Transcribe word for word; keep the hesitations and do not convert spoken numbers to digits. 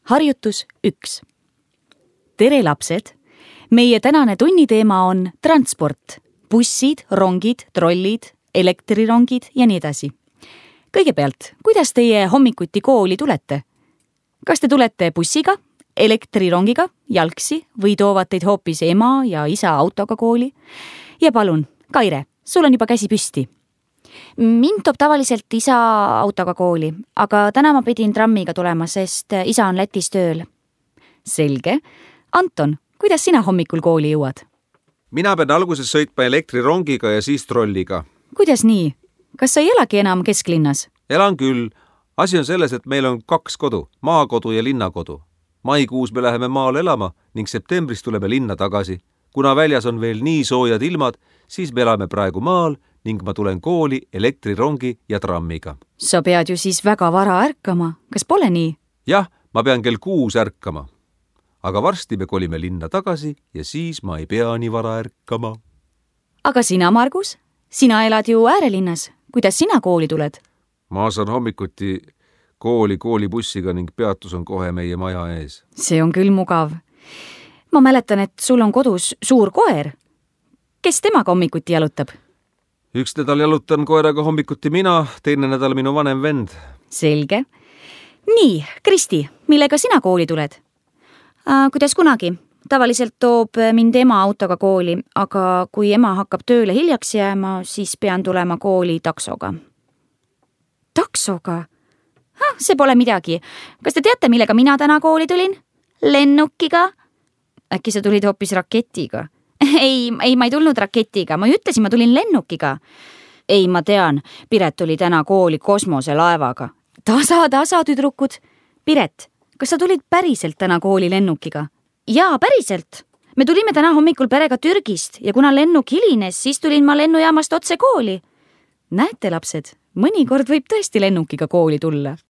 Harjutus üks. Tere lapsed! Meie tänane tunniteema on transport. Bussid, rongid, trollid, elektrirongid ja nii edasi. Kõigepealt, kuidas teie hommikuti kooli tulete? Kas te tulete bussiga, elektrirongiga, jalgsi või toovad teid hoopis ema ja isa autoga kooli? Ja palun, Kaire, sul on juba käsi püsti. Mind toob tavaliselt isa autoga kooli, aga täna ma pidin trammiga tulema, sest isa on Lätis tööl. Selge. Anton, kuidas sina hommikul kooli jõuad? Mina pean alguses sõitma elektrirongiga ja siis trolliga. Kuidas nii? Kas sa ei elagi enam kesklinnas? Elan küll. Asi on selles, et meil on kaks kodu, maakodu ja linnakodu. Maikuus me läheme maale elama ning septembris tuleme linna tagasi. Kuna väljas on veel nii soojad ilmad, siis me elame praegu maal ning ma tulen kooli elektrirongi ja trammiga. Sa pead ju siis väga vara ärkama. Kas pole nii? Jah, ma pean kell kuus ärkama. Aga varsti me kolime linna tagasi ja siis ma ei pea nii vara ärkama. Aga sina, Margus? Sina elad ju äärelinnas. Kuidas sina kooli tuled? Ma saan hommikuti kooli koolibussiga ning peatus on kohe meie maja ees. See on küll mugav. Ma mäletan, et sul on kodus suur koer. Kes temaga hommikuti jalutab? Üks nädal jalutan koeraga hommikuti mina, teine nädal minu vanem vend. Selge. Nii, Kristi, millega sina kooli tuled? Äh, kuidas kunagi? Tavaliselt toob mind ema autoga kooli, aga kui ema hakkab tööle hiljaks jääma, siis pean tulema kooli taksoga. Taksoga? Ha, see pole midagi. Kas te teate, millega mina täna kooli tulin? Lennukiga? Äkki sa tulid hoopis raketiga? Ei, ei, ma ei tulnud raketiga. Ma ütlesin, ma tulin lennukiga. Ei, ma tean. Piret tuli täna kooli kosmoselaevaga. Tasa, tasa, tüdrukud. Piret, kas sa tulid päriselt täna kooli lennukiga? Jaa, päriselt. Me tulime täna hommikul perega Türgist ja kuna lennuk hilines, siis tulin ma lennujaamast otse kooli. Näete, lapsed, mõnikord võib tõesti lennukiga kooli tulla.